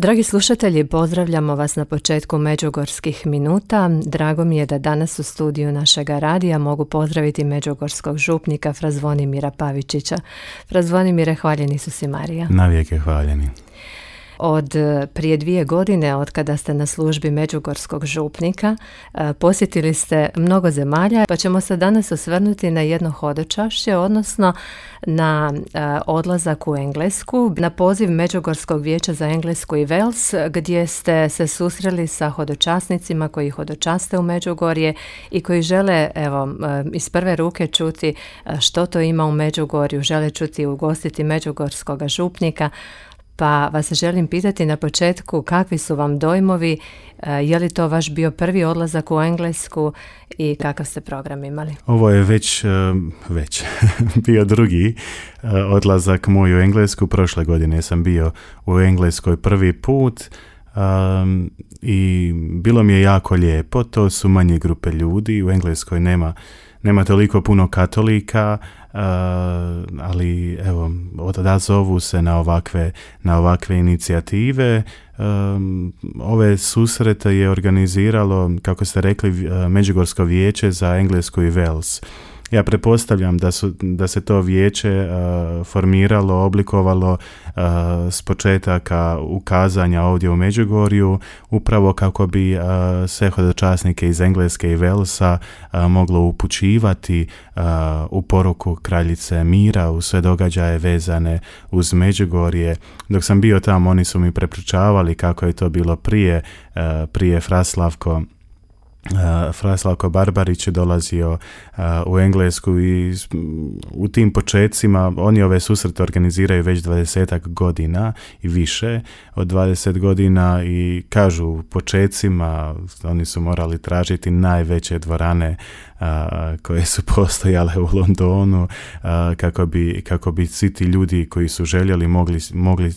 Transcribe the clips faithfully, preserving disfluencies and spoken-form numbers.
Dragi slušatelji, pozdravljamo vas na početku Međugorskih minuta. Drago mi je da danas u studiju našega radija mogu pozdraviti međugorskog župnika Fra Zvonimira Pavičića. Fra Zvonimire, hvaljeni su si Marija. Navijek je hvaljeni. Od prije dvije godine, od kada ste na službi međugorskog župnika, posjetili ste mnogo zemalja, pa ćemo se danas osvrnuti na jedno hodočašće, odnosno na odlazak u Englesku, na poziv Međugorskog vijeća za Englesku i Wales, gdje ste se susreli sa hodočasnicima koji hodočaste u Međugorje i koji žele, evo, iz prve ruke čuti što to ima u Međugorju, žele čuti i ugostiti međugorskog župnika. Pa vas želim pitati na početku kakvi su vam dojmovi, je li to vaš bio prvi odlazak u Englesku i kakav ste program imali? Ovo je već, već bio drugi odlazak moj u Englesku. Prošle godine sam bio u Engleskoj prvi put um, i bilo mi je jako lijepo. To su manje grupe ljudi, u Engleskoj nema Nema toliko puno katolika, uh, ali evo, odazovu se na ovakve, na ovakve inicijative. Um, ove susrete je organiziralo, kako ste rekli, Međugorsko vijeće za Englesku i Wales. Ja pretpostavljam da, su, da se to vijeće uh, formiralo, oblikovalo uh, s početaka ukazanja ovdje u Međugorju, upravo kako bi uh, sve hodočasnike iz Engleske i Walesa uh, moglo upućivati uh, u poruku kraljice mira, u sve događaje vezane uz Međugorje. Dok sam bio tamo, oni su mi prepričavali kako je to bilo prije, uh, prije Fraslavko. Uh, Fraslavko Barbarić je dolazio uh, u Englesku i u tim počecima oni ove susrete organiziraju već dvadesetak godina i više od dvadeset godina i kažu u počecima oni su morali tražiti najveće dvorane uh, koje su postojale u Londonu uh, kako bi, kako bi svi ti ljudi koji su željeli mogli, mogli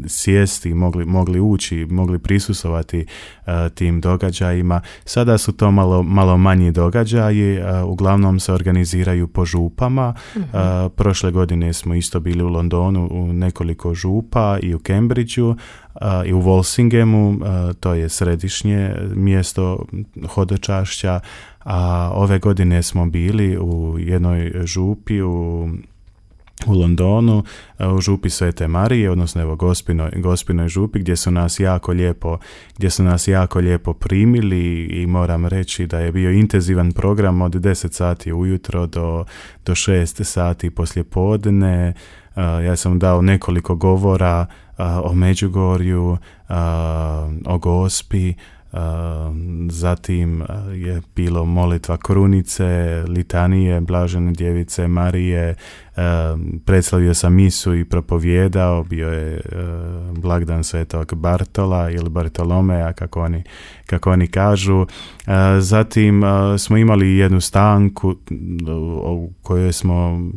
sjesti, mogli, mogli ući, mogli prisustvovati uh, tim događajima. Sada su to malo, malo manji događaji, uh, uglavnom se organiziraju po župama. Mm-hmm. Uh, prošle godine smo isto bili u Londonu u nekoliko župa i u Cambridgeu uh, i u Walsinghamu, uh, to je središnje mjesto hodočašća, a ove godine smo bili u jednoj župi u u Londonu, u župi Svete Marije, odnosno evo Gospinoj, Gospinoj župi, gdje su nas jako lijepo, gdje su nas jako lijepo primili i moram reći da je bio intenzivan program od deset sati ujutro do, do šest sati poslijepodne. Uh, ja sam dao nekoliko govora uh, o Međugorju, uh, o Gospi. Uh, zatim uh, je bilo molitva krunice, litanije Blažene djevice Marije, uh, predslavio sam misu i propovijedao, bio je uh, blagdan Svetog Bartola ili Bartolomeja, kako oni, kako oni kažu. Uh, zatim uh, smo imali jednu stanku u kojoj smo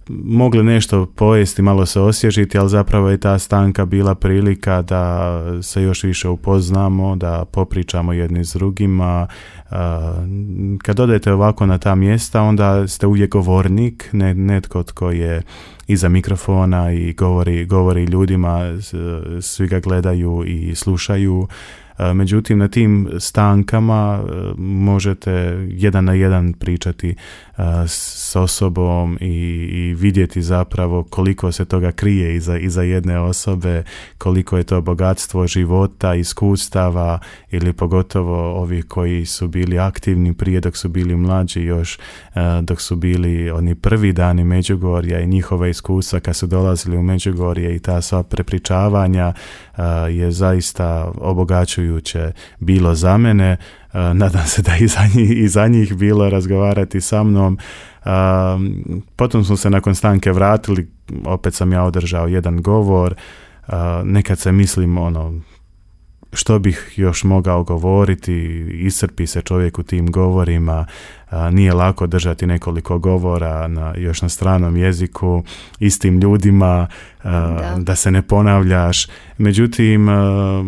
mogli nešto pojesti, malo se osvježiti, ali zapravo je ta stanka bila prilika da se još više upoznamo, da popričamo jedni s drugima. Kad odete ovako na ta mjesta, onda ste uvijek govornik, ne, netko tko je iza mikrofona i govori, govori ljudima, svi ga gledaju i slušaju. Međutim, na tim stankama možete jedan na jedan pričati s osobom i, i vidjeti zapravo koliko se toga krije iza, iza jedne osobe, koliko je to bogatstvo života, iskustava ili pogotovo ovi koji su bili aktivni prije dok su bili mlađi, još dok su bili oni prvi dani Međugorja i njihova iskustva kad su dolazili u Međugorje i ta sva prepričavanja je zaista obogaćujuće bilo za mene. Uh, nadam se da i za njih, i za njih bilo razgovarati sa mnom. Uh, potom smo se nakon stanke vratili, opet sam ja održao jedan govor. Uh, nekad se mislim ono, što bih još mogao govoriti, iscrpi se čovjek u tim govorima, a, nije lako držati nekoliko govora na, još na stranom jeziku, istim ljudima, a, da. da se ne ponavljaš. Međutim, a,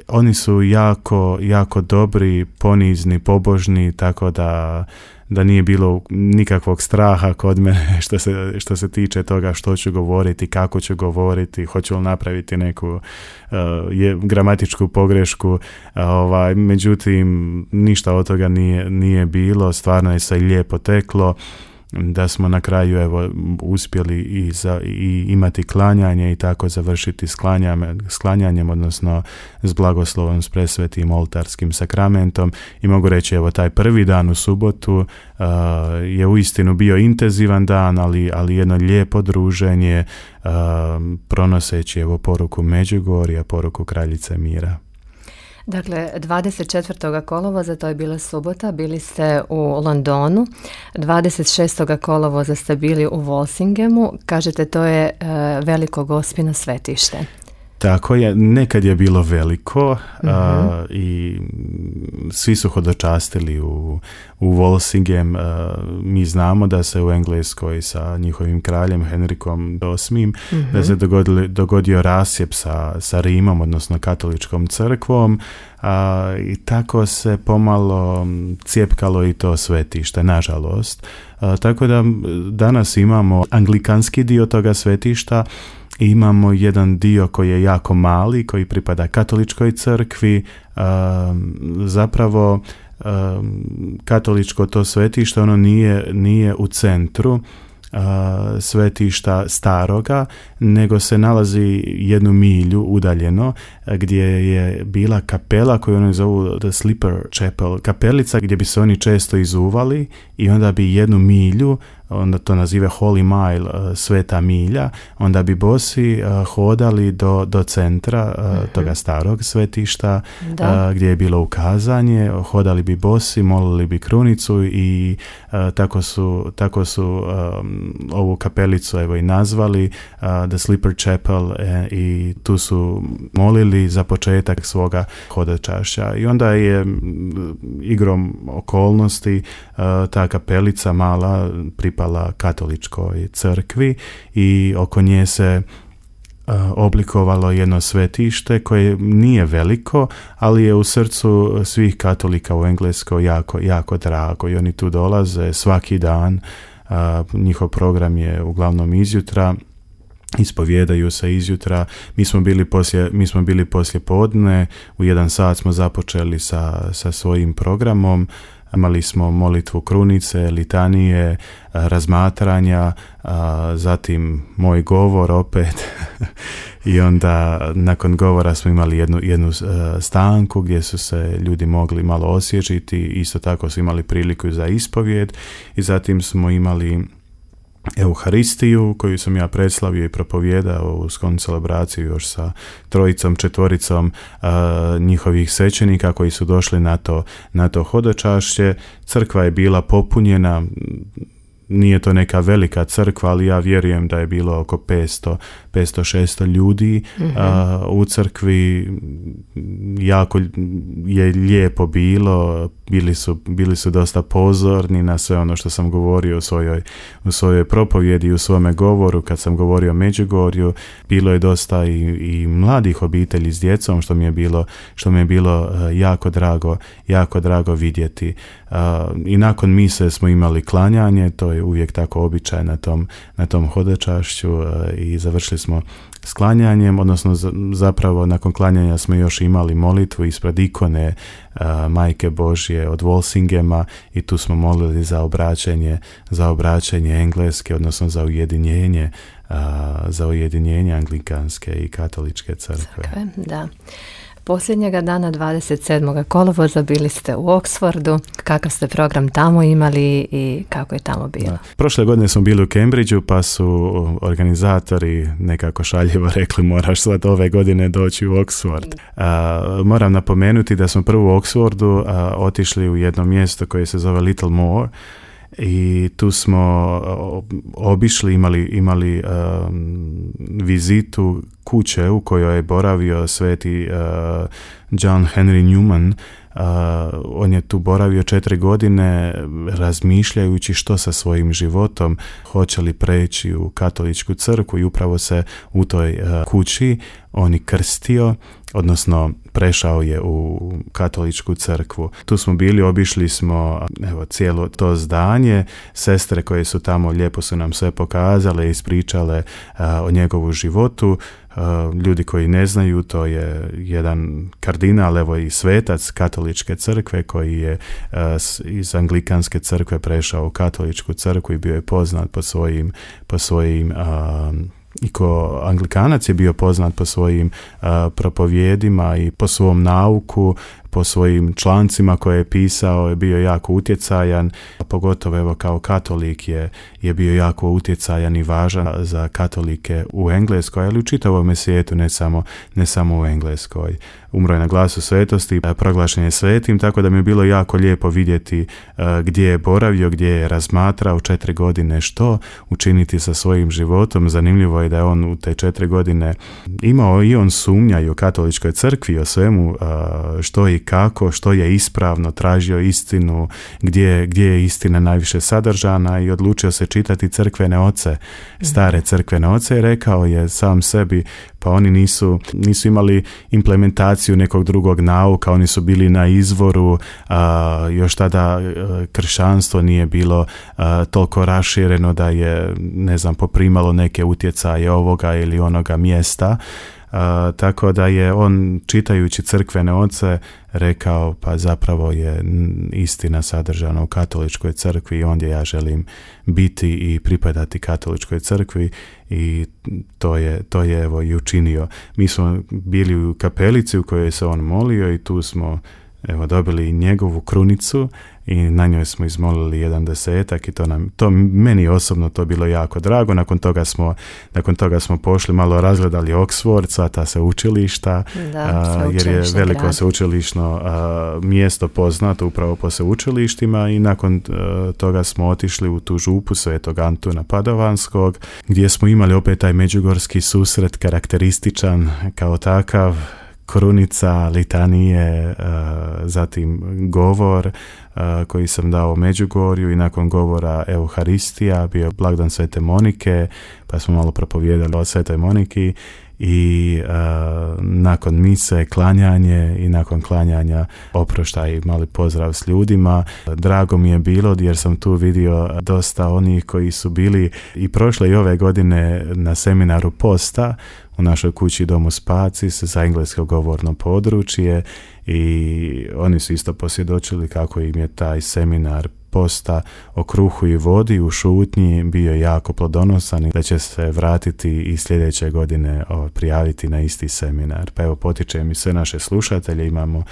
oni su jako, jako dobri, ponizni, pobožni, tako da da nije bilo nikakvog straha kod mene što se, što se tiče toga što ću govoriti, kako ću govoriti, hoću li napraviti neku uh, je, gramatičku pogrešku, uh, ovaj, međutim ništa od toga nije, nije bilo, stvarno je sve lijepo teklo, da smo na kraju evo uspjeli i, za, i imati klanjanje i tako završiti s klanjanjem, s klanjanjem, odnosno s blagoslovom s presvetim oltarskim sakramentom. I mogu reći evo taj prvi dan u subotu uh, je uistinu bio intenzivan dan, ali, ali jedno lijepo druženje uh, pronoseći evo poruku Međugorja, poruku Kraljice mira. Dakle, dvadeset četvrtog kolovoza, to je bila subota, bili ste u Londonu, dvadeset šestog kolovoza ste bili u Walsinghamu, kažete to je e, veliko Gospino svetište. Tako je, nekad je bilo veliko uh-huh. a, i svi su hodočastili u, u Walsingham. A, mi znamo da se u Engleskoj sa njihovim kraljem Henrikom osmim uh-huh. da se dogodili, dogodio rasjep sa, sa Rimom, odnosno katoličkom crkvom, a, i tako se pomalo cijepkalo i to svetište, nažalost. A, tako da danas imamo anglikanski dio toga svetišta. Imamo jedan dio koji je jako mali, koji pripada katoličkoj crkvi. Um, zapravo um, katoličko to svetište, ono nije, nije u centru uh, svetišta staroga, nego se nalazi jednu milju udaljeno gdje je bila kapela koju oni zovu The Slipper Chapel, kapelica gdje bi se oni često izuvali i onda bi jednu milju, onda to nazive Holy Mile, uh, sveta milja, onda bi bosi uh, hodali do, do centra uh, mm-hmm. toga starog svetišta uh, gdje je bilo ukazanje, hodali bi bosi, molili bi krunicu i uh, tako su, tako su um, ovu kapelicu evo i nazvali uh, The Slipper Chapel e, i tu su molili za početak svoga hodočašća. I onda je m, igrom okolnosti uh, ta kapelica mala pripala katoličkoj crkvi i oko nje se uh, oblikovalo jedno svetište koje nije veliko, ali je u srcu svih katolika u Engleskoj jako, jako drago i oni tu dolaze svaki dan. Uh, njihov program je uglavnom izjutra, ispovijedaju se izjutra. Mi smo bili poslije, mi smo bili poslije podne, u jedan sat smo započeli sa, sa svojim programom. Imali smo molitvu krunice, litanije, razmatranja, zatim moj govor opet i onda nakon govora smo imali jednu, jednu stanku gdje su se ljudi mogli malo osvježiti, isto tako su imali priliku za ispovijed i zatim smo imali Euharistiju koju sam ja predslavio i propovijedao u skon celebraciju još sa trojicom, četvoricom uh, njihovih svećenika koji su došli na to, na to hodočašće. Crkva je bila popunjena, nije to neka velika crkva, ali ja vjerujem da je bilo oko petsto do šesto ljudi mm-hmm. uh, u crkvi. Jako je lijepo bilo, bili su, bili su dosta pozorni na sve ono što sam govorio u svojoj, u svojoj propovjedi, u svome govoru kad sam govorio o Međugorju. Bilo je dosta i, i mladih obitelji s djecom, što mi je bilo, što mi je bilo uh, jako drago, jako drago vidjeti. Uh, I nakon mise smo imali klanjanje, to je uvijek tako običaj na tom, na tom hodočašću uh, i završili smo s klanjanjem, odnosno zapravo nakon klanjanja smo još imali molitvu ispred ikone uh, Majke Božje od Walsinghama i tu smo molili za obraćenje, za obraćenje engleske, odnosno za ujedinjenje, uh, za ujedinjenje anglikanske i katoličke crkve. Crkve, da. Posljednjega dana dvadeset sedmog kolovoza bili ste u Oxfordu. Kakav ste program tamo imali i kako je tamo bilo? Da. Prošle godine smo bili u Cambridgeu pa su organizatori nekako šaljivo rekli moraš sad ove godine doći u Oxford. Uh, moram napomenuti da smo prvo u Oxfordu uh, otišli u jedno mjesto koje se zove Little More i tu smo obišli, imali, imali um, vizitu kuće u kojoj je boravio sveti uh, John Henry Newman, on je tu boravio četiri godine razmišljajući što sa svojim životom, hoće li preći u katoličku crkvu, i upravo se u toj kući on i krstio, odnosno prešao je u katoličku crkvu. Tu smo bili, obišli smo evo, cijelo to zdanje, sestre koje su tamo lijepo su nam sve pokazale i ispričale a, o njegovu životu. A, ljudi koji ne znaju, to je jedan kardinal, evo i svetac katoličke crkve koji je a, iz anglikanske crkve prešao u katoličku crkvu i bio je poznat po svojim, po svojim a, i ko anglikanac je bio poznat po svojim uh, propovjedima i po svom nauku, po svojim člancima koje je pisao, je bio jako utjecajan, a pogotovo evo kao katolik je, je bio jako utjecajan i važan za katolike u Engleskoj, ali u čitavom svijetu, ne samo, ne samo u Engleskoj. Umro je na glasu svetosti, proglašen je svetim, tako da mi je bilo jako lijepo vidjeti uh, gdje je boravio, gdje je razmatrao četiri godine što učiniti sa svojim životom. Zanimljivo je da je on u te četiri godine imao i on sumnja i o katoličkoj crkvi, o svemu uh, što i kako, što je ispravno, tražio istinu, gdje, gdje je istina najviše sadržana i odlučio se čitati crkvene oce, stare crkvene oce, i rekao je sam sebi, pa oni nisu, nisu imali implementaciju nekog drugog nauka, oni su bili na izvoru, a, još tada a, kršćanstvo nije bilo a, toliko rašireno da je, ne znam, poprimalo neke utjecaje ovoga ili onoga mjesta. Uh, tako da je on, čitajući crkvene oce, rekao pa zapravo je istina sadržana u katoličkoj crkvi i ondje ja želim biti i pripadati katoličkoj crkvi, i to je, to je evo i učinio. Mi smo bili u kapelici u kojoj se on molio i tu smo evo dobili njegovu krunicu i na njoj smo izmolili jedan desetak i to nam, to meni osobno to bilo jako drago. Nakon toga smo, nakon toga smo pošli, malo razgledali Oxford, sva ta sveučilišta, da, jer je veliko grad. sveučilišno a, mjesto poznato upravo po sveučilištima, i nakon a, toga smo otišli u tu župu Svetog Antuna Padovanskog, gdje smo imali opet taj međugorski susret, karakterističan kao takav, krunica, litanije, zatim govor koji sam dao u Međugorju, i nakon govora Euharistija, bio blagdan Svete Monike, pa smo malo propovijedali o Svetoj Moniki, i uh, nakon mise klanjanje, i nakon klanjanja oproštaj i mali pozdrav s ljudima. Drago mi je bilo jer sam tu vidio dosta onih koji su bili i prošle i ove godine na seminaru posta u našoj kući Domu Spacis za englesko govorno područje, i oni su isto posvjedočili kako im je taj seminar posta o kruhu i vodi u šutnji bio jako plodonosan i da će se vratiti i sljedeće godine o, prijaviti na isti seminar. Pa evo, potičem i sve naše slušatelje, imamo,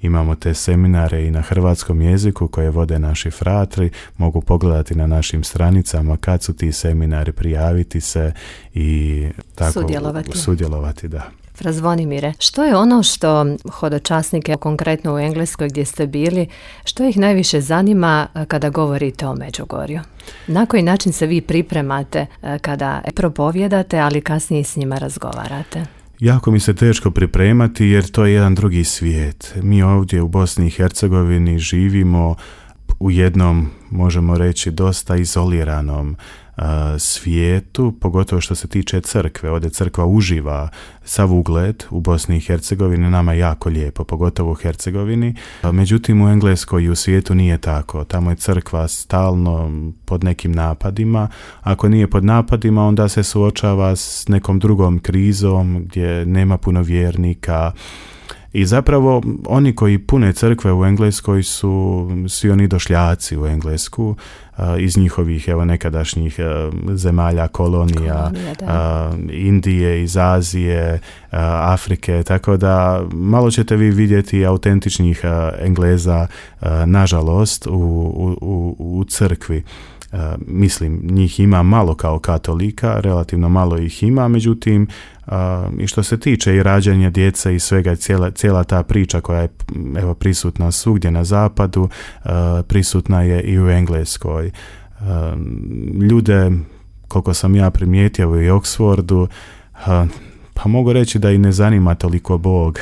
imamo te seminare i na hrvatskom jeziku koje vode naši fratri, mogu pogledati na našim stranicama kad su ti seminari, prijaviti se i tako sudjelovati. sudjelovati da. Fra Zvonimire, što je ono što hodočasnike, konkretno u Engleskoj gdje ste bili, što ih najviše zanima kada govorite o Međugorju? Na koji način se vi pripremate kada propovjedate, ali kasnije s njima razgovarate? Jako mi se teško pripremati jer to je jedan drugi svijet. Mi ovdje u Bosni i Hercegovini živimo u jednom, možemo reći, dosta izoliranom uh, svijetu, pogotovo što se tiče crkve. Ovdje crkva uživa sav ugled u Bosni i Hercegovini, nama je jako lijepo, pogotovo u Hercegovini. Međutim, u Engleskoj i u svijetu nije tako. Tamo je crkva stalno pod nekim napadima. Ako nije pod napadima, onda se suočava s nekom drugom krizom gdje nema puno vjernika. I zapravo oni koji pune crkve u Engleskoj su svi oni došljaci u Englesku a, iz njihovih evo nekadašnjih a, zemalja, kolonija, a, Indije, iz Azije, a, Afrike, tako da malo ćete vi vidjeti autentičnih a, Engleza, a, nažalost, u, u, u, u crkvi. Uh, mislim, njih ima malo kao katolika, relativno malo ih ima, međutim, uh, i što se tiče i rađanja djece i svega, cijela, cijela ta priča koja je evo, prisutna svugdje na zapadu, uh, prisutna je i u Engleskoj. Uh, ljude, koliko sam ja primijetio u Oxfordu, uh, pa mogu reći da i ne zanima toliko Bog.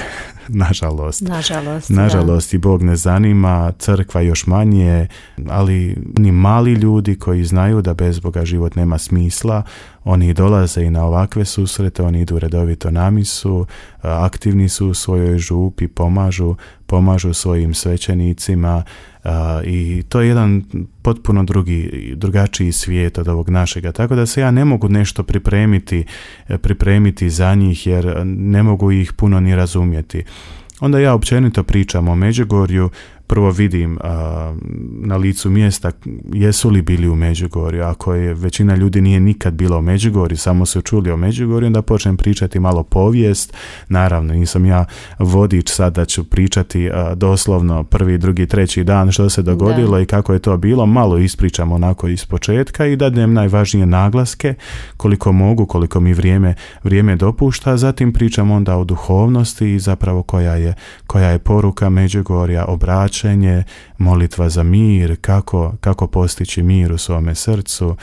Nažalost. Nažalost, Nažalost da. I Bog ne zanima, crkva još manje, ali ni mali ljudi koji znaju da bez Boga život nema smisla, oni dolaze i na ovakve susrete, oni idu redovito na misu, aktivni su u svojoj župi, pomažu, pomažu svojim svećenicima i to je jedan potpuno drugi, drugačiji svijet od ovog našega. Tako da se ja ne mogu nešto pripremiti, pripremiti za njih jer ne mogu ih puno ni razumjeti. Onda ja općenito pričam o Međugorju, prvo vidim a, na licu mjesta jesu li bili u Međugorju. Ako je većina ljudi nije nikad bila u Međugorju, samo su čuli o Međugorju, onda počnem pričati malo povijest. Naravno, nisam ja vodič sad da ću pričati a, doslovno prvi, drugi, treći dan što se dogodilo da. I kako je to bilo. Malo ispričam onako iz početka i dadnem najvažnije naglaske koliko mogu, koliko mi vrijeme, vrijeme dopušta. Zatim pričam onda o duhovnosti i zapravo koja je, koja je poruka Međugorja, obraćanje, molitva za mir, kako, kako postići mir u svome srcu,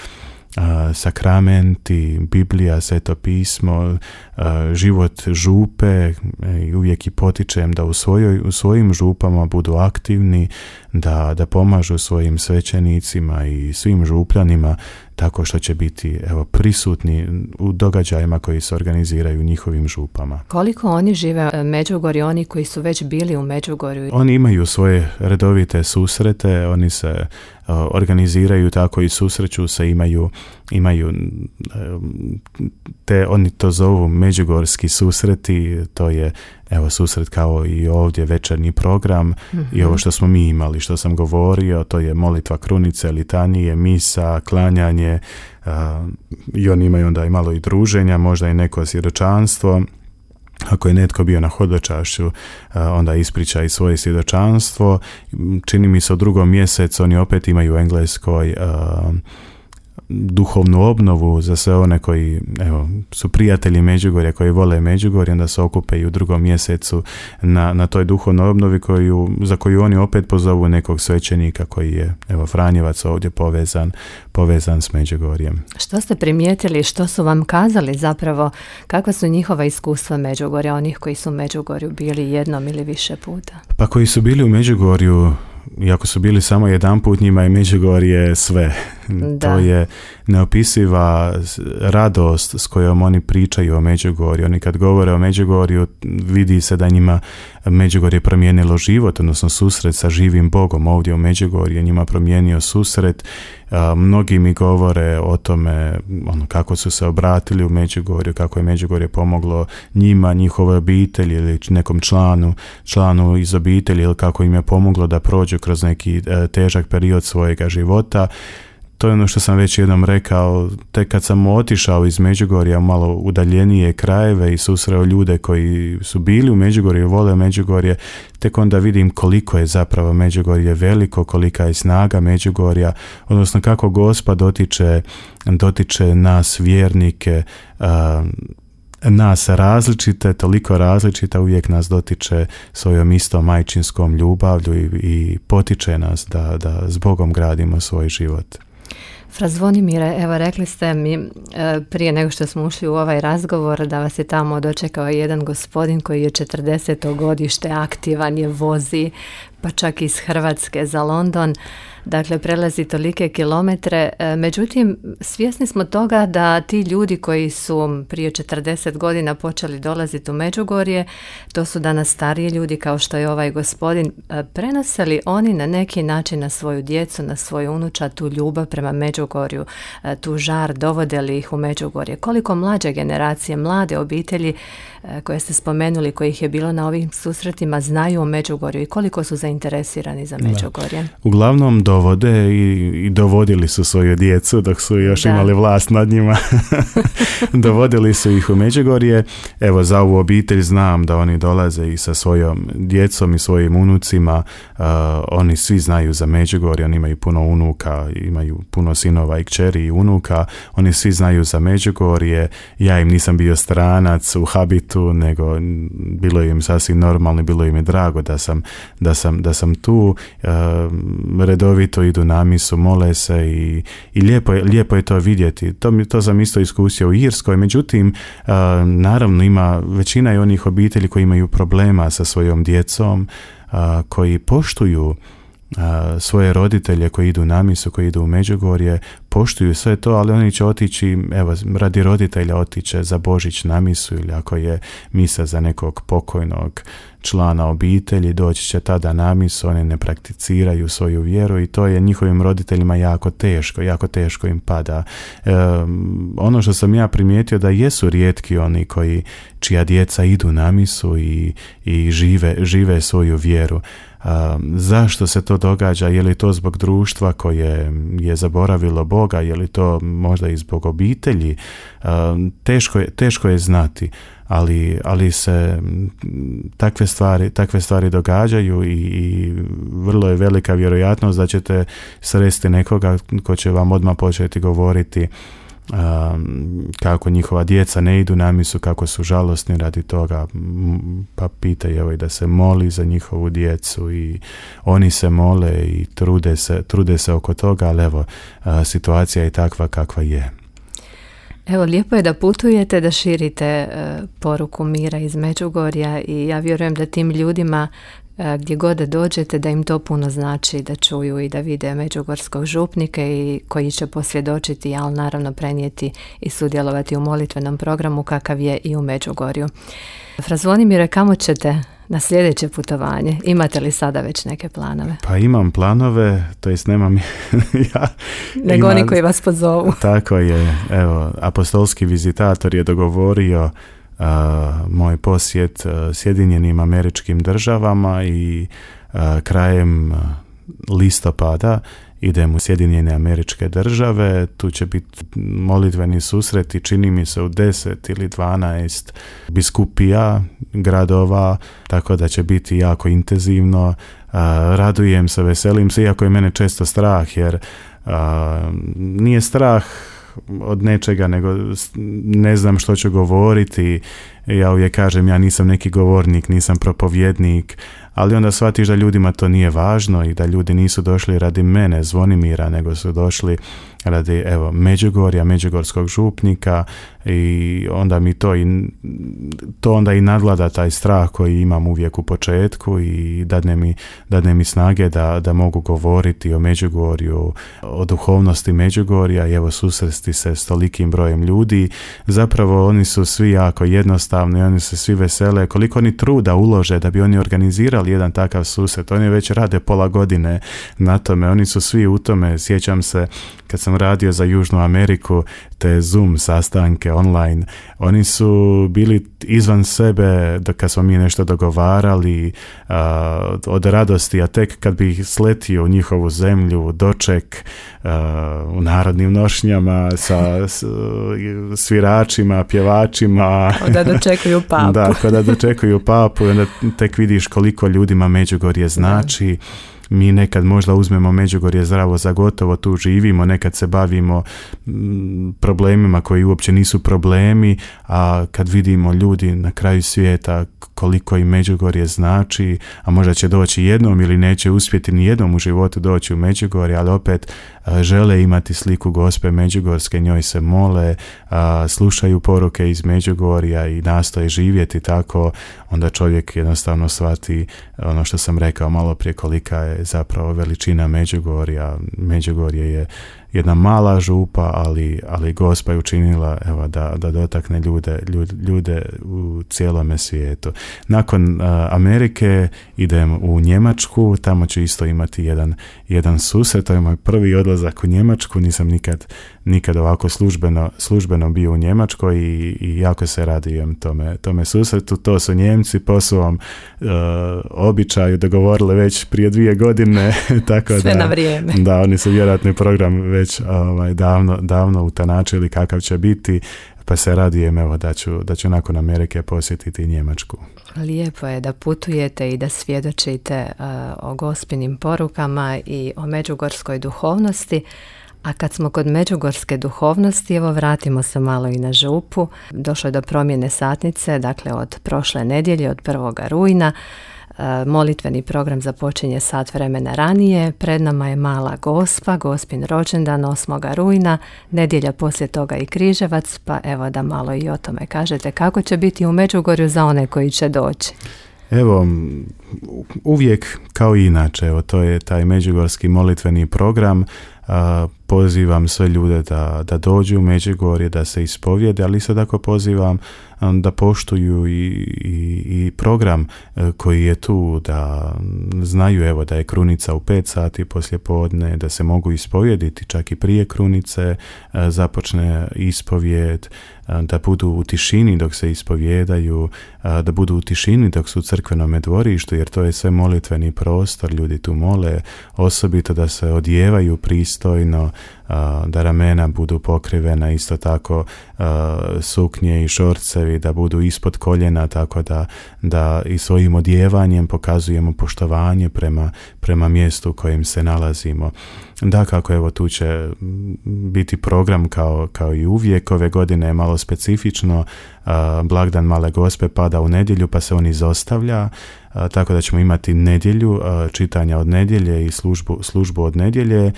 a, sakramenti, Biblija, Sveto pismo, a, život župe i uvijek i potičem da u, svojoj, u svojim župama budu aktivni, da, da pomažu svojim svećenicima i svim župljanima tako što će biti evo, prisutni u događajima koji se organiziraju u njihovim župama. Koliko oni žive u Međugorju, oni koji su već bili u Međugorju? Oni imaju svoje redovite susrete, oni se uh, organiziraju tako i susreću se, imaju, imaju uh, te, oni to zovu međugorski susreti, to je evo susret kao i ovdje večernji program mm-hmm. i ovo što smo mi imali, što sam govorio, to je molitva krunice, litanije, misa, klanjanje uh, i oni imaju onda i malo i druženja, možda i neko svjedočanstvo. Ako je netko bio na hodočašću, uh, onda ispriča i svoje svjedočanstvo. Čini mi se u drugom mjesecu oni opet imaju u Engleskoj uh, duhovnu obnovu za sve one koji evo, su prijatelji Međugorja, koji vole Međugorje, onda se okupe i u drugom mjesecu na, na toj duhovnoj obnovi koju, za koju oni opet pozovu nekog svećenika koji je evo, Franjevac ovdje povezan, povezan s Međugorjem. Što ste primijetili, što su vam kazali zapravo, kakva su njihova iskustva Međugorja, onih koji su u Međugorju bili jednom ili više puta? Pa koji su bili u Međugorju, iako su bili samo jedan put, njima je Međugorje sve. Da. To je neopisiva radost s kojom oni pričaju o Međugorju. Oni kad govore o Međugorju, vidi se da njima Međugorje promijenilo život, odnosno susret sa živim Bogom ovdje u Međugorju, njima promijenio susret. A, mnogi mi govore o tome ono, kako su se obratili u Međugorju, kako je Međugorje pomoglo njima, njihove obitelji ili nekom članu, članu iz obitelji, ili kako im je pomoglo da prođu kroz neki e, težak period svojega života. To je ono što sam već jednom rekao, tek kad sam otišao iz Međugorja u malo udaljenije krajeve i susreo ljude koji su bili u Međugorju i vole Međugorje, tek onda vidim koliko je zapravo Međugorje veliko, kolika je snaga Međugorja, odnosno kako Gospod dotiče, dotiče nas vjernike, uh, nas različite, toliko različita, uvijek nas dotiče svojom istom majčinskom ljubavlju i, i potiče nas da, da s Bogom gradimo svoj život. Fra Zvonimire, evo rekli ste mi prije nego što smo ušli u ovaj razgovor da vas je tamo dočekao jedan gospodin koji je četrdeseto godište, aktivan je, vozi pa čak iz Hrvatske za London, dakle prelazi tolike kilometre. Međutim, svjesni smo toga da ti ljudi koji su prije četrdeset godina počeli dolaziti u Međugorje, to su danas stariji ljudi kao što je ovaj gospodin, prenose li oni na neki način na svoju djecu, na svoju unučad tu ljubav prema Međugorju, tu žar, dovode li ih u Međugorje? Koliko mlađe generacije, mlade obitelji koje ste spomenuli, kojih je bilo na ovim susretima, znaju o Međugorju i koliko su zainteresirani za Međugorje? Da. Uglavnom dovode i, i dovodili su svoju djecu dok su još da. imali vlast nad njima. Dovodili su ih u Međugorje. Evo, za ovu obitelj znam da oni dolaze i sa svojom djecom i svojim unucima. Uh, oni svi znaju za Međugorje, oni imaju puno unuka, imaju puno sinova i kćeri i unuka. Oni svi znaju za Međugorje. Ja im nisam bio stranac u habitu tu, nego bilo im sasvim normalno, bilo im je drago da sam, da sam, da sam tu, uh, redovito idu na misu, mole se i, i lijepo, je, lijepo je to vidjeti. To, mi, to sam isto iskusio u Irskoj, međutim, uh, naravno ima većina je onih obitelji koji imaju problema sa svojom djecom, uh, koji poštuju A, svoje roditelje koji idu na misu, koji idu u Međugorje, poštuju sve to, ali oni će otići, evo, radi roditelja otiće za Božić na misu, ili ako je misa za nekog pokojnog člana obitelji, doći će tada na misu, oni ne prakticiraju svoju vjeru i to je njihovim roditeljima jako teško, jako teško im pada. E, ono što sam ja primijetio da jesu rijetki oni koji, čija djeca idu na misu i, i žive, žive svoju vjeru. Um, zašto se to događa? Je li to zbog društva koje je zaboravilo Boga? Je li to možda i zbog obitelji? Um, teško je, teško je znati, ali, ali se takve stvari, takve stvari događaju i, i vrlo je velika vjerojatnost da ćete sresti nekoga ko će vam odmah početi govoriti Um, kako njihova djeca ne idu na misu, kako su žalosni radi toga, pa pitaju evo i da se moli za njihovu djecu i oni se mole i trude se, trude se oko toga, ali evo, a, situacija je takva kakva je. Evo, lijepo je da putujete, da širite uh, poruku mira iz Međugorja i ja vjerujem da tim ljudima gdje god da dođete, da im to puno znači, da čuju i da vide međugorskog župnika i koji će posvjedočiti, ali naravno prenijeti i sudjelovati u molitvenom programu kakav je i u Međugorju. Fra Zvonimire, kamo ćete na sljedeće putovanje? Imate li sada već neke planove? Pa imam planove, to jest nemam ja. Nego ima, oni koji vas pozovu. Tako je, evo, apostolski vizitator je dogovorio Uh, moj posjet uh, Sjedinjenim Američkim Državama i uh, krajem uh, listopada idem u Sjedinjene Američke Države. Tu će biti molitveni susreti, čini mi se u deset ili dvanaest biskupija, gradova, tako da će biti jako intenzivno. Uh, radujem se, veselim se, iako je mene često strah, jer uh, nije strah od nečega, nego ne znam što ću govoriti. Ja uvijek kažem, ja nisam neki govornik, nisam propovjednik, ali onda shvatiš da ljudima to nije važno i da ljudi nisu došli radi mene, Zvonimira, nego su došli radi, evo, Međugorja, međugorskog župnika i onda mi to i to onda i nadvlada taj strah koji imam uvijek u početku i dadne mi, dadne mi snage da, da mogu govoriti o Međugorju, o duhovnosti Međugorja i evo susresti se s tolikim brojem ljudi. Zapravo oni su svi jako jednostavni, oni se svi vesele, koliko oni truda ulože da bi oni organizirali jedan takav susret. Oni već rade pola godine na tome, oni su svi u tome. Sjećam se kad sam radio za Južnu Ameriku, te Zoom sastanke online, oni su bili izvan sebe dok kad smo mi nešto dogovarali uh, od radosti, a tek kad bi sletio u njihovu zemlju, doček uh, u narodnim nošnjama sa s, sviračima, pjevačima. Da dočekuju papu. Da, kada dočekuju papu i onda tek vidiš koliko ljudima Međugorje znači. Da. Mi nekad možda uzmemo Međugorje zdravo za gotovo, tu živimo, nekad se bavimo m, problemima koji uopće nisu problemi, a kad vidimo ljudi na kraju svijeta koliko im Međugorje znači, a možda će doći jednom ili neće uspjeti ni jednom u životu doći u Međugorje, ali opet a, žele imati sliku Gospe Međugorske, njoj se mole, a, slušaju poruke iz Međugorja i nastoje živjeti tako, onda čovjek jednostavno shvati ono što sam rekao malo prije, kolika je zapravo veličina Međugorja. Međugorje je jedna mala župa, ali, ali Gospa je učinila, evo, da, da dotakne ljude, ljude, ljude u cijelome svijetu. Nakon uh, Amerike idem u Njemačku, tamo ću isto imati jedan, jedan susret, to je moj prvi odlazak u Njemačku, nisam nikad, nikad ovako službeno, službeno bio u Njemačkoj i, i jako se radujem tome, tome susretu. To su Njemci po svom uh, običaju dogovorili već prije dvije godine. Tako sve da, na vrijeme. Da, oni su vjerojatno program već ovaj, davno, davno utanačili kakav će biti, pa se radujem, evo, da ću, da ću nakon Amerike posjetiti Njemačku. Lijepo je da putujete i da svjedočite uh, o Gospinim porukama i o međugorskoj duhovnosti, A kad smo kod međugorske duhovnosti, evo vratimo se malo i na župu. Došlo je do promjene satnice, dakle od prošle nedjelje, od prvog rujna. Molitveni program započinje sat vremena ranije. Pred nama je Mala Gospa, Gospin rođendan osmog rujna, nedjelja poslije toga i Križevac, pa evo da malo i o tome kažete kako će biti u Međugorju za one koji će doći. Evo, uvijek kao i inače, evo, to je taj međugorski molitveni program. A, pozivam sve ljude da, da dođu u Međugorje, da se ispovjede, ali isto tako pozivam um, da poštuju i, i, i program uh, koji je tu, da znaju evo da je krunica u pet sati poslije podne, da se mogu ispovjediti čak i prije krunice, uh, započne ispovjed, uh, da budu u tišini dok se ispovjedaju, uh, da budu u tišini dok su u crkvenome dvorištu, jer to je sve molitveni prostor, ljudi tu mole, osobito da se odjevaju pristojno, da ramena budu pokrivena, isto tako suknje i šorcevi da budu ispod koljena, tako da, da i svojim odjevanjem pokazujemo poštovanje prema, prema mjestu u kojem se nalazimo. Da, kako evo tu će biti program kao, kao i uvijek. Ove godine je malo specifično, blagdan Male Gospe pada u nedjelju pa se on izostavlja, tako da ćemo imati nedjelju, čitanja od nedjelje i službu, službu od nedjelje.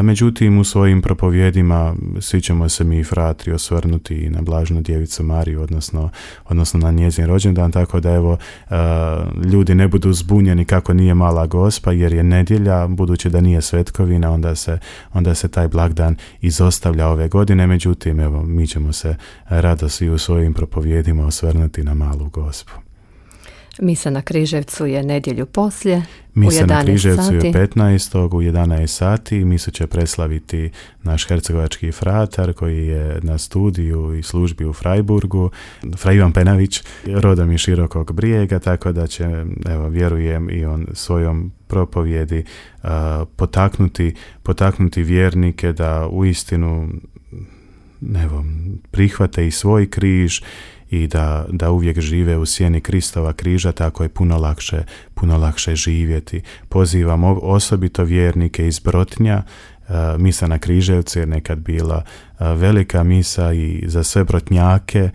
Međutim, u svojim propovjedima svi ćemo se mi fratri osvrnuti i na Blaženu Djevicu Mariju, odnosno, odnosno na njezin rođendan, tako da evo ljudi ne budu zbunjeni kako nije Mala Gospa, jer je nedjelja, budući da nije svetkovina, onda se, onda se taj blagdan izostavlja ove godine. Međutim, evo, mi ćemo se rado svi u svojim propovjedima osvrnuti na Malu Gospu. Misa na Križevcu je nedjelju poslije, Misa u na Križevcu je sati. petnaestog u jedanaest sati. Misu će preslaviti naš hercegovački fratar koji je na studiju i službi u Freiburgu, Fra Ivan Penavić, rodom iz Širokog Brijega, tako da će, evo, vjerujem i on svojom propovjedi uh, potaknuti, potaknuti vjernike da uistinu evo, prihvate i svoj križ i da, da uvijek žive u sjeni Kristova križa, tako je puno lakše, puno lakše živjeti. Pozivam osobito vjernike iz Brotnja. Misa na Križevcu je nekad bila velika misa i za sve Brotnjake,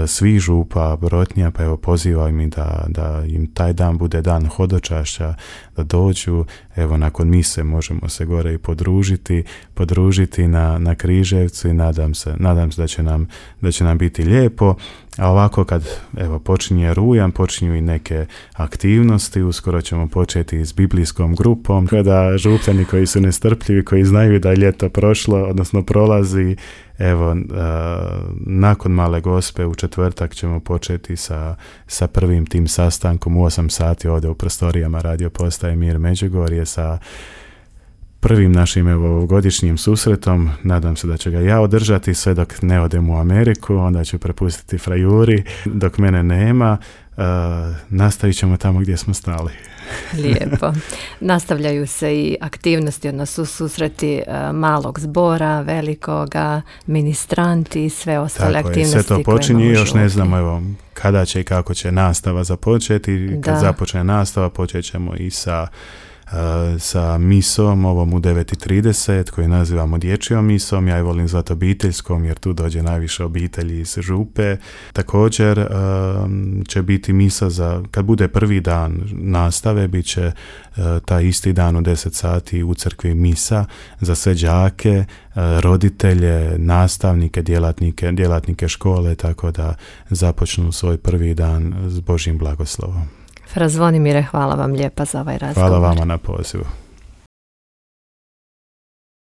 svih župa Brotnja, pa evo pozivam im da, da im taj dan bude dan hodočašća, da dođu, evo nakon mise možemo se gore i podružiti, podružiti na, na Križevcu i nadam se, nadam se da će nam, da će nam biti lijepo. A ovako kad evo počinje rujan, počinju i neke aktivnosti, uskoro ćemo početi s biblijskom grupom, kada župljani koji su nestrpljivi, koji znaju da je ljeto prošlo, odnosno prolazi, evo uh, nakon Male Gospe u četvrtak ćemo početi sa, sa prvim tim sastankom u osam sati ovdje u prostorijama Radio Postaje Mir Međugorje sa prvim našim evo godišnjim susretom. Nadam se da će ga ja održati sve dok ne odem u Ameriku, onda ću prepustiti Frajuri dok mene nema. Uh, nastavit ćemo tamo gdje smo stali. Lijepo. Nastavljaju se i aktivnosti, odnosno susreti uh, malog zbora, velikoga, ministranti i sve ostale Tako aktivnosti. Je, sve to počinje, još ne znamo evo, kada će i kako će nastava započeti. Kad da. započne nastava počet ćemo i sa sa misom, ovom u devet i trideset, koju nazivamo dječjom misom. Ja je volim zvati obiteljskom jer tu dođe najviše obitelji iz župe. Također um, će biti misa za, kad bude prvi dan nastave, bit će uh, taj isti dan u deset sati u crkvi misa za sve đake, uh, roditelje, nastavnike, djelatnike, djelatnike škole, tako da započnu svoj prvi dan s Božjim blagoslovom. Fra Zvonimire, hvala vam lijepa za ovaj razgovor. Hvala vama na pozivu.